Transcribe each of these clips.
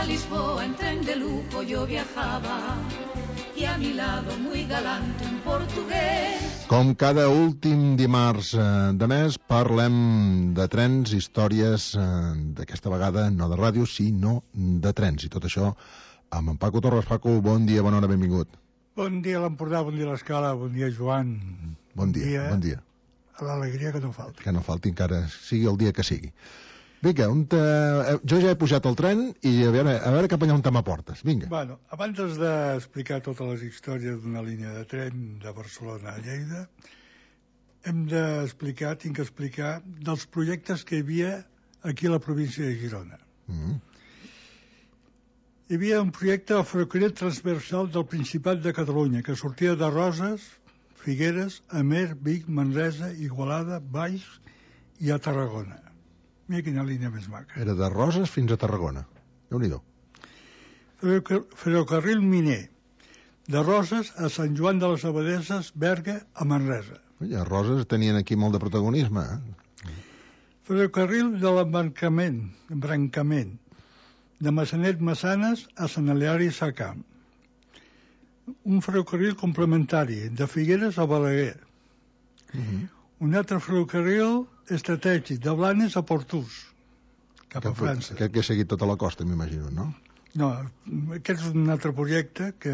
a Lisboa en tren de lujo yo viajaba y a mi lado muy galante un portugués. Com cada últim dimarts de mes parlem de trens, històries d'aquesta vegada no de ràdio sinó de trens, i tot això amb en Paco Torres. Paco, bon dia, bona hora, benvingut. Bon dia a l'Empordà, bon dia a l'Escala, bon dia Joan. Bon dia. A l'alegria que no falti. Que no falti, encara sigui el dia que sigui. Vinga, jo ja he pujat al tren i a veure cap allà on te m'aportes. Vinga. Bueno, abans d'explicar totes les històries d'una línia de tren de Barcelona a Lleida, tinc que explicar dels projectes que hi havia aquí a la província de Girona. Hi havia un projecte de ferrocarril transversal del Principat de Catalunya que sortia de Roses, Figueres, Amer, Vic, Manresa, Igualada, Valls i a Tarragona. Mira quina línia més maca. Era de Roses fins a Tarragona. Déu-n'hi-do. Ferrocarril miner. De Roses a Sant Joan de les Abadesses, Berga, a Manresa. A Roses tenien aquí molt de protagonisme. Ferrocarril de l'embrancament. De Massanet-Massanes a Sant Hilari Sacamp. Un ferrocarril complementari, de Figueres a Balaguer. Un altre ferrocarril estratègic, de Blanes a Portús, cap a França. Aquest que ha seguit tota la costa, m'imagino, no? No, aquest és un altre projecte que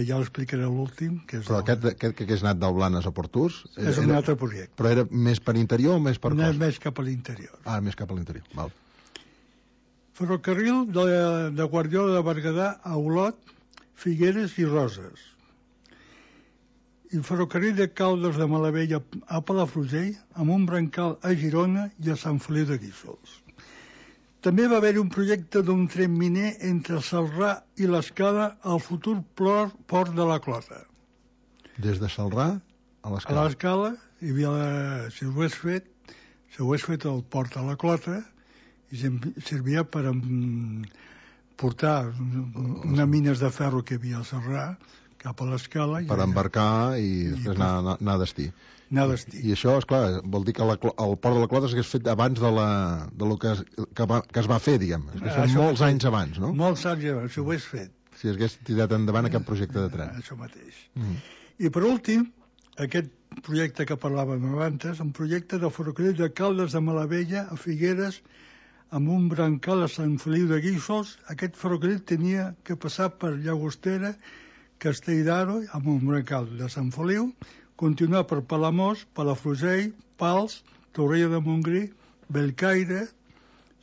ja l'explicaré a l'últim. Però aquest que és anat del Blanes a Portús... És un altre projecte. Però era més per interior o més per costa? Més cap a l'interior. Més cap a l'interior, val. Ferrocarril de Guardiola de Berguedà a Olot, Figueres i Roses. I ferrocarril de Caldes de Malavella a Palafrugell, amb un brancal a Girona i a Sant Feliu de Guíxols. També va haver un projecte d'un tren miner entre Celrà i l'Escala al futur port de la Clota. Des de Celrà a l'Escala? A l'Escala, hi havia si ho hagués fet el port a la Clota, i servia per portar unes mines de ferro que hi havia a Celrà cap a l'Escala. Per embarcar i després anar a destí. I això, esclar, vol dir que el port de la Clota s'hagués fet abans de lo que es va fer, diguem. Són molts anys abans, no? Molts anys abans, si ho hagués fet. Si hagués tirat endavant aquest projecte de tren. Això mateix. I per últim, aquest projecte que parlàvem abans, un projecte de ferrocarril de Caldes de Malavella a Figueres amb un brancal a Sant Feliu de Guíxols. Aquest ferrocarril tenia que passar per Llagostera, Castell d'Aro, amb un brancal de Sant Feliu, continuar per Palamós, Palafrugell, Pals, Torrella de Montgrí, Bellcaire,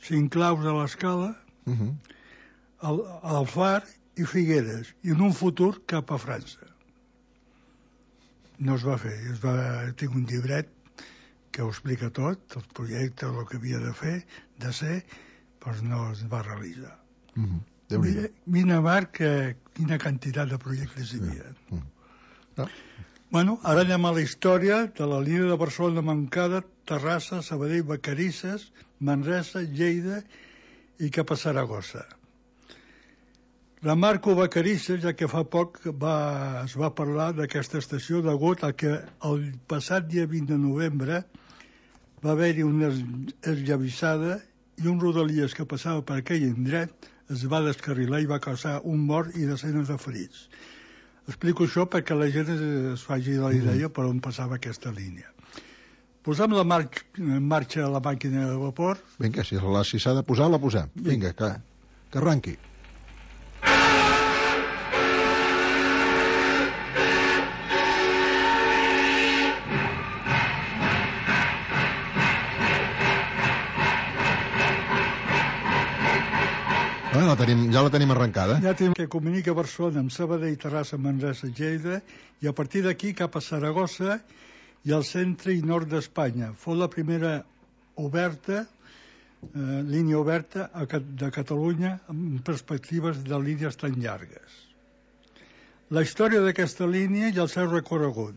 Sinclaus de l'Escala, Alfar i Figueres, i en un futur cap a França. No es va fer, tinc un llibret que ho explica tot, el projecte, el que havia de fer, de ser, però no es va realitzar. Mira, Marc, quina quantitat de projectes hi havia. Bueno, ara anem a la història de la línia de Barcelona-Montcada, Terrassa, Sabadell, Vacarisses, Manresa, Lleida i cap a Saragossa. La Marco Vacarisses, ja que fa poc es va parlar d'aquesta estació degut a que el passat dia 20 de novembre va haver-hi una esllavissada i un rodalies que passava per aquell indret es va descarrilar i va causar un mort i desenes de ferits. Explico això perquè la gent es faci la idea per on passava aquesta línia. Posem en marxa la màquina de vapor. Vinga, si s'ha de posar, la posem. Vinga, que arranqui. Ja la tenim arrencada. Ja tenim que comunica Barcelona amb Sabadell, Terrassa, Manresa, Lleida, i a partir d'aquí cap a Saragossa i al centre i nord d'Espanya. Fou la primera línia oberta de Catalunya amb perspectives de línies tan llargues. La història d'aquesta línia i el seu recorregut.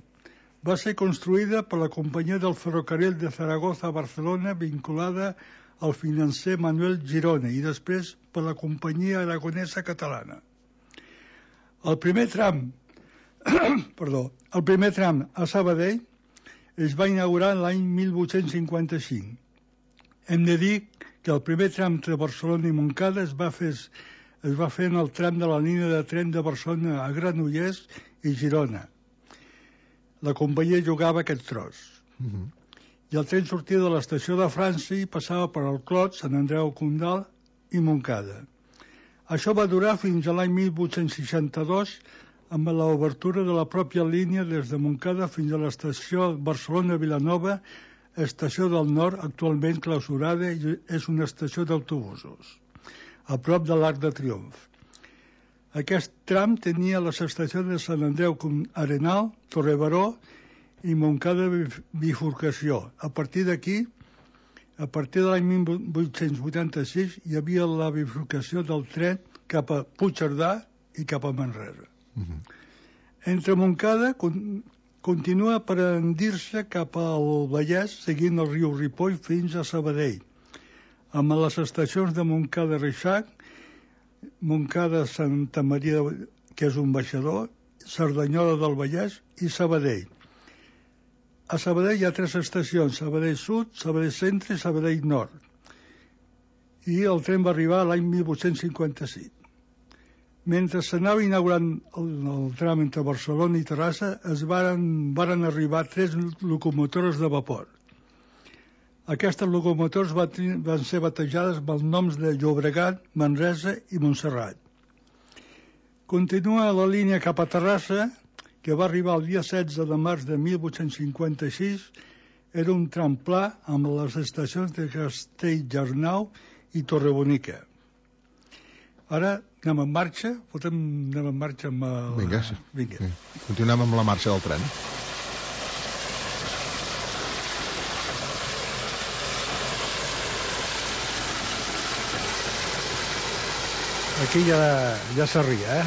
Va ser construïda per la companyia del ferrocarril de Zaragoza a Barcelona vinculada al financer Manuel Girona i després per la companyia aragonesa catalana. El primer tram a Sabadell es va inaugurar l'any 1855 Hem de dir que el primer tram entre Barcelona i Montcada es va fer en el tram de la línia de tren de Barcelona a Granollers i Girona. La companyia jugava aquest tros. I el tren sortia de l'estació de França i passava per el Clot, Sant Andreu Condal i Montcada. Això va durar fins a l'any 1862 amb l'obertura de la pròpia línia des de Montcada fins a l'estació Barcelona-Vilanova, estació del Nord, actualment clausurada i és una estació d'autobusos, a prop de l'Arc de Triomf. Aquest tram tenia les estacions de Sant Andreu Arenal, Torrebaró i Montcada Bifurcació. A partir d'aquí, a partir de l'any 1886, hi havia la bifurcació del tren cap a Puigcerdà i cap a Manresa. Entre Montcada continua per endir-se cap al Vallès, seguint el riu Ripoll fins a Sabadell, amb les estacions de Montcada-Reixac, Montcada-Santa Maria, que és un baixador, Cerdanyola del Vallès i Sabadell. A Sabadell hi ha 3 estacions, Sabadell Sud, Sabadell Centre i Sabadell Nord. I el tren va arribar l'any 1856. Mentre s'anava inaugurant el tram entre Barcelona i Terrassa, varen arribar 3 locomotores de vapor. Aquestes locomotores van ser batejades amb els noms de Llobregat, Manresa i Montserrat. Continua la línia cap a Terrassa, que va arribar el dia 16 de març de 1856. Era un tram pla amb les estacions de Castelljarnau i Torrebonica. Ara anem en marxa, anem en marxa amb el... Vinga. Vinga. Continuem amb la marxa del tren. Aquí ja s'arria,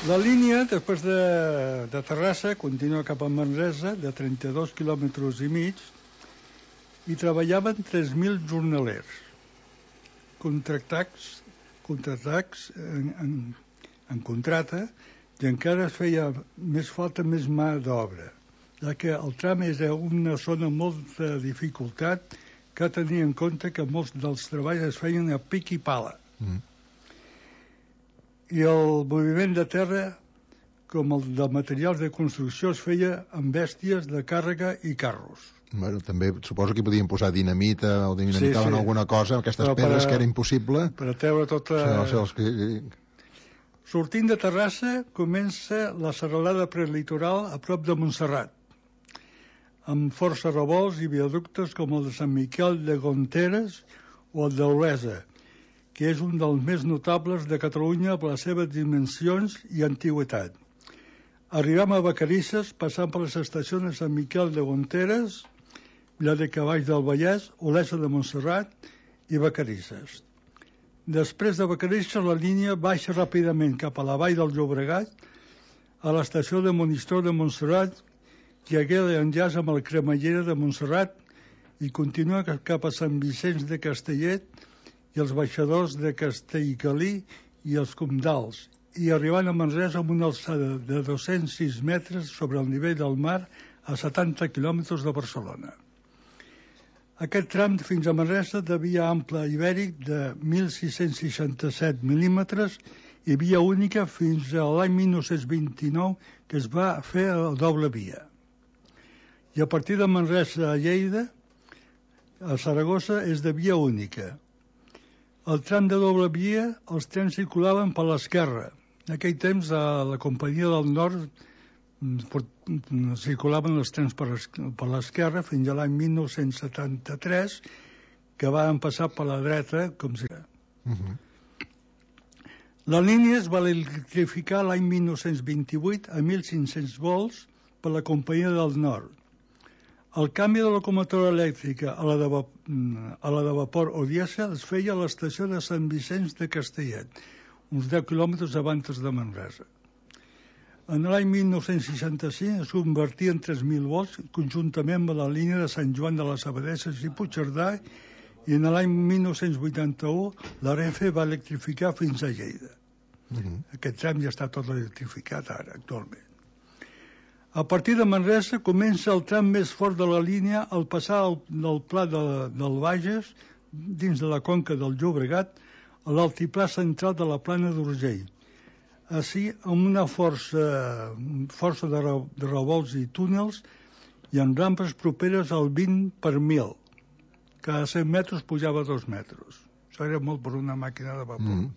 La línia, després de Terrassa, continua cap a Manresa, de 32 quilòmetres i mig, i treballaven 3.000 jornalers, contractats en contrata, i encara es feia més falta més mà d'obra, ja que el tram és una zona amb molta dificultat, que tenir en compte que molts dels treballs es feien a pic i pala. I el moviment de terra, com el de materials de construcció, es feia amb bèsties de càrrega i carros. Bueno, també suposo que podien posar dinamita o dinamitaven alguna cosa, aquestes pedres que era impossible. Per a treure tota... Sortint de Terrassa comença la serralada prelitoral a prop de Montserrat, amb força revolts i viaductes com el de Sant Miquel de Gonteres o el d'Olesa, que és un dels més notables de Catalunya per les seves dimensions i antiguitat. Arribem a Vacarisses, passant per les estacions de Sant Miquel de Gonteres, Vila de Cavalls del Vallès, Olesa de Montserrat i Vacarisses. Després de Vacarisses, la línia baixa ràpidament cap a la vall del Llobregat, a l'estació de Monistrol de Montserrat, que hagué d'enllaç amb el Cremallera de Montserrat i continua cap a Sant Vicenç de Castellet i els baixadors de Castellgalí i els Comdals, i arribant a Manresa amb una alçada de 206 metres sobre el nivell del mar a 70 quilòmetres de Barcelona. Aquest tram fins a Manresa de via ampla ibèric de 1.667 mil·límetres i via única fins a l'any 1929, que es va fer a doble via. I a partir de Manresa a Lleida, a Saragossa, és de via única. El tram de doble via, els trens circulaven per l'esquerra. En aquell temps, a la Companyia del Nord circulaven els trens per l'esquerra fins a l'any 1973, que van passar per la dreta, com si... La línia es va electrificar l'any 1928 a 1.500 volts per la Companyia del Nord. El canvi de locomotora elèctrica a la de vapor o dièsel es feia a l'estació de Sant Vicenç de Castellet, uns 10 quilòmetres abans de Manresa. En l'any 1965 es convertia en 3.000 volts conjuntament amb la línia de Sant Joan de les Abadesses i Puigcerdà, i en l'any 1981 la Renfe va electrificar fins a Lleida. Aquest tram ja està tot electrificat ara, actualment. A partir de Manresa comença el tram més fort de la línia al passar del Pla del Bages, dins de la conca del Llobregat, a l'altiplà central de la Plana d'Urgell. Així, amb una força de revolts i túnels i amb rampes properes al 20 per 1000. Cada 100 metres pujava 2 metres. Això era molt per una màquina de vapor.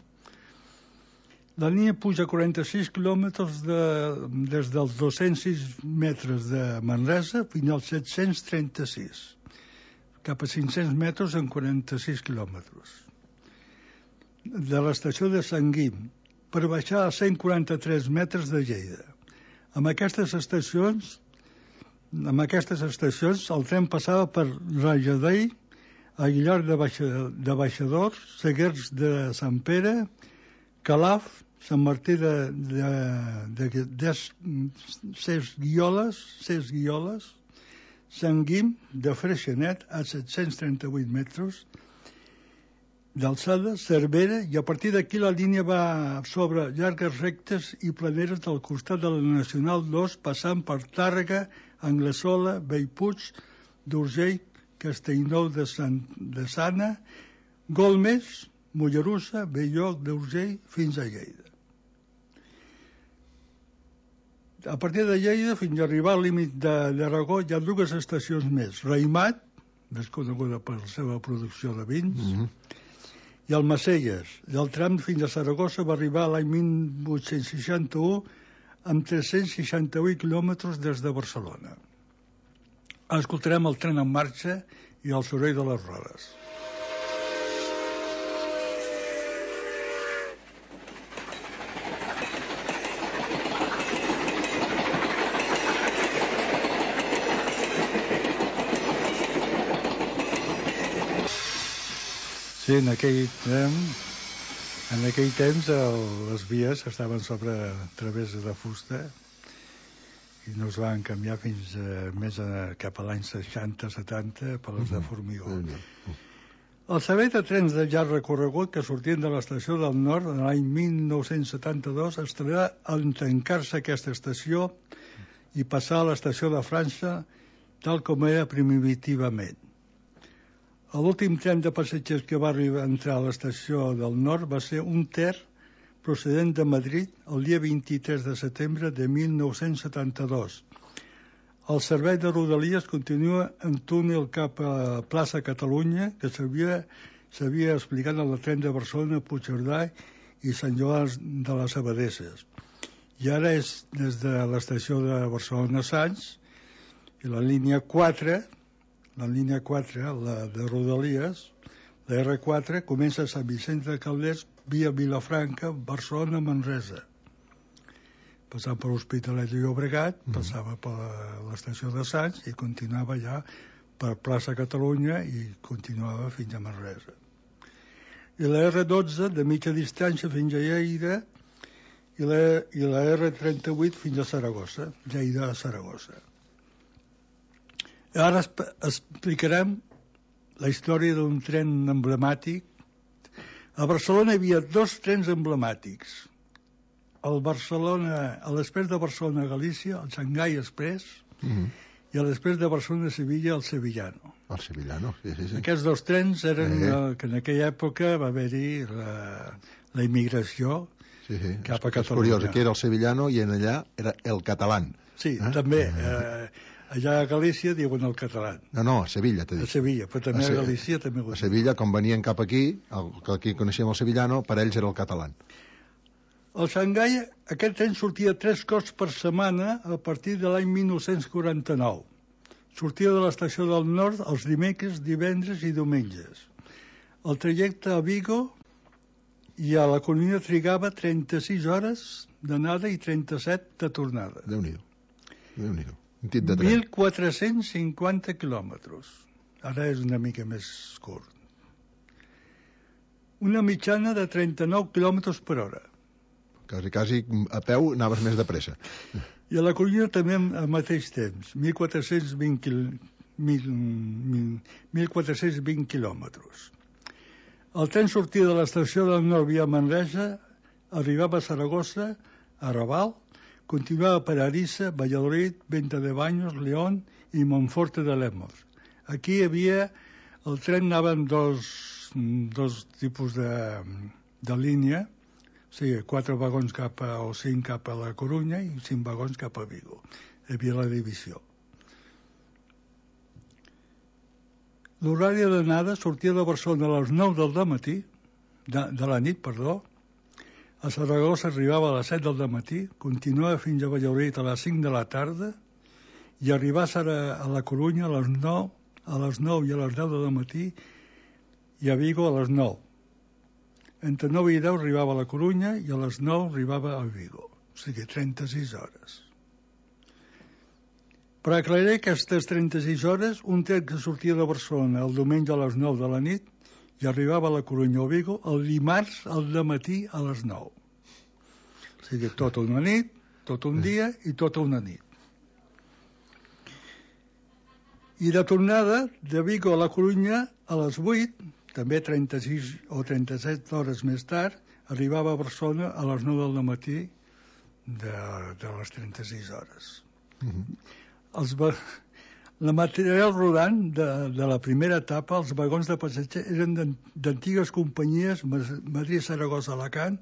La línia puja 46 quilòmetres des dels 206 metres de Manresa fins als 736, cap a 500 metres en 46 quilòmetres. De l'estació de Sant Guim, per baixar a 143 metres de Lleida. Amb aquestes estacions el tren passava per Rajadell, Aguilar de Baixadors, Seguers de Sant Pere, Calaf, Sant Martí de Ses Guioles, Sant Guim de Freixenet a 738 metres d'alçada, Cervera, i a partir d'aquí la línia va sobre llargues rectes i planeres del costat de la Nacional 2, passant per Tàrrega, Anglesola, Bellpuig, d'Urgell, Castellnou de Sana, Golmés, Mollerussa, Belloc d'Urgell, fins a Lleida. A partir de Lleida, fins a arribar al límit d'Aragó, hi ha 2 estacions més. Raïmat, més coneguda per la seva producció de vins, i Almacelles. I el tram fins a Saragossa va arribar l'any 1861 amb 368 quilòmetres des de Barcelona. Escoltarem el tren en marxa i el soroll de les rodes. Sí, en aquell temps les vies estaven sobre travessa de fusta i no es van canviar fins cap a l'any 60-70 per les de formigó. El servei de trens de llarg recorregut que sortien de l'estació del Nord l'any 1972 estarà en tancar-se aquesta estació i passar a l'estació de França tal com era primitivament. L'últim tren de passatgers que va entrar a l'estació del Nord va ser un Ter procedent de Madrid el dia 23 de setembre de 1972. El servei de Rodalies continua en túnel cap a plaça Catalunya, que s'havia explicat en el tren de Barcelona, Puigcerdà i Sant Joan de les Abadesses. I ara és des de l'estació de Barcelona Sants i la línia 4, la de Rodalies, la R4, comença a Sant Vicenç de Calders via Vilafranca, Barcelona, Manresa. Passant per l'Hospitalet de Llobregat, passava per l'estació de Sants i continuava ja per plaça Catalunya i continuava fins a Manresa. I la R12 de mitja distància fins a Lleida i la R38 fins a Saragossa, Lleida a Saragossa. Ara explicarem la història d'un tren emblemàtic. A Barcelona hi havia 2 trens emblemàtics. A l'Express de Barcelona a Galícia, el Xangai Express, i a l'Express de Barcelona a Sevilla, el Sevillano. El Sevillano, sí. Aquests 2 trens eren que en aquella època va haver-hi la immigració cap a Catalunya. És curiós, aquí era el Sevillano i en allà era el Catalán. Sí, també. Allà a Galícia diuen el català. No, a Sevilla, t'he dit. A Sevilla, però també a Galícia també ho diuen. A Sevilla, com venien cap aquí, que aquí coneixíem el Sevillano, per ells era el català. El Xangai, aquest tren sortia 3 cops per setmana a partir de l'any 1949. Sortia de l'estació del Nord els dimecres, divendres i diumenges. El trajecte a Vigo i a la Corunya trigava 36 hores d'anada i 37 de tornada. Déu-n'hi-do. 1.450 quilòmetres. Ara és una mica més curt. Una mitjana de 39 quilòmetres per hora. Quasi a peu anaves més de pressa. I a la Corunya també al mateix temps, 1.420 quilòmetres. El tren sortia de l'estació del Nord via Manresa, arribava a Saragossa, a Raval, continuaba per Ariza, Valladolid, Venta de Baños, León i Monforte de Lemos. Aquí hi havia, el tren anava en dos tipus de línia, o sigui, 4 vagons o 5 cap a la Corunya i 5 vagons cap a Vigo. Hi havia la divisió. L'horari d'anada sortia de Barcelona a les 9 del dematí, de la nit, a Saragossa arribava a les 7 del matí, continuava fins a Valladolid a les 5 de la tarda i arribava a la Corunya a les 9 i a les 10 del matí i a Vigo a les 9. Entre 9 i 10 arribava a la Corunya i a les 9 arribava a Vigo. O sigui, 36 hores. Per aclarir aquestes 36 hores, un tren que sortia de Barcelona el diumenge a les 9 de la nit i arribava a la Corunya o Vigo el dimarts al dematí a les 9. O sigui, tota una nit, tot un dia i tota una nit. I de tornada de Vigo a la Corunya a les 8, també 36 o 37 hores més tard, arribava a Barcelona a les 9 del matí de les 36 hores. La material rodant de la primera etapa, els vagons de passatgers, eren d'antigues companyies, Madrid, Saragossa, Alacant,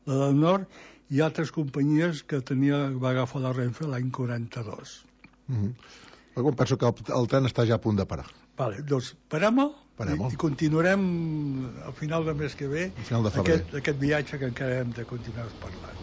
la del nord, i altres companyies que va agafar la Renfe l'any 42. Penso que el tren està ja a punt de parar. Vale, doncs parem-ho i continuarem al final del mes que ve aquest viatge que encara hem de continuar parlant.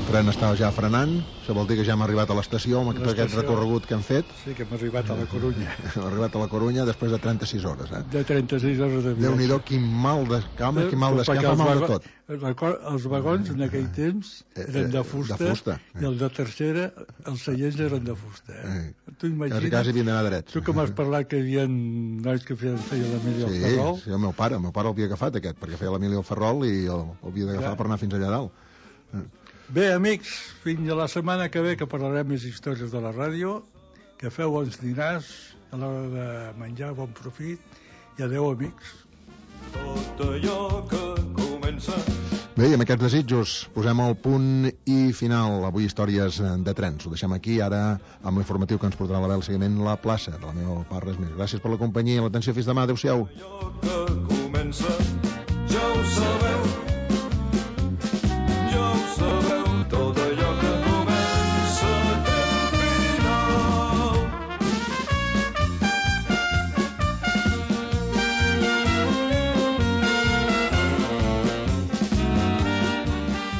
El tren està ja frenant, això vol dir que ja hem arribat a l'estació amb aquest recorregut que hem fet. Sí, que hem arribat a la Corunya. Hem arribat a la Corunya després de 36 hores. De 36 hores de viatge. Déu-n'hi-do, quin mal d'escama, quin mal d'escama, mal de tot. Els vagons en aquell temps eren de fusta i els de tercera, els seients eren de fusta. Tu imagines... Quasi vindran a drets. Tu que m'has parlat que hi havia nois que feien l'Emili al Ferrol. Sí, el meu pare l'havia agafat aquest, perquè feia l'Emili al Ferrol i l'havia d'agafar per anar fins allà dalt. Bé, amics, fins a la setmana que ve que parlarem més històries de la ràdio. Que feu bons dinars, a l'hora de menjar, bon profit, i adeu, amics. Tot allò que comença... Bé, i amb aquests desitjos posem el punt i final. Avui històries de trens. Ho deixem aquí, ara amb l'informatiu que ens portarà la veu seguiment la plaça de la meva part, res més. Gràcies per la companyia i l'atenció. Fins demà, adeu-siau. Allò que comença, ja ho sabeu.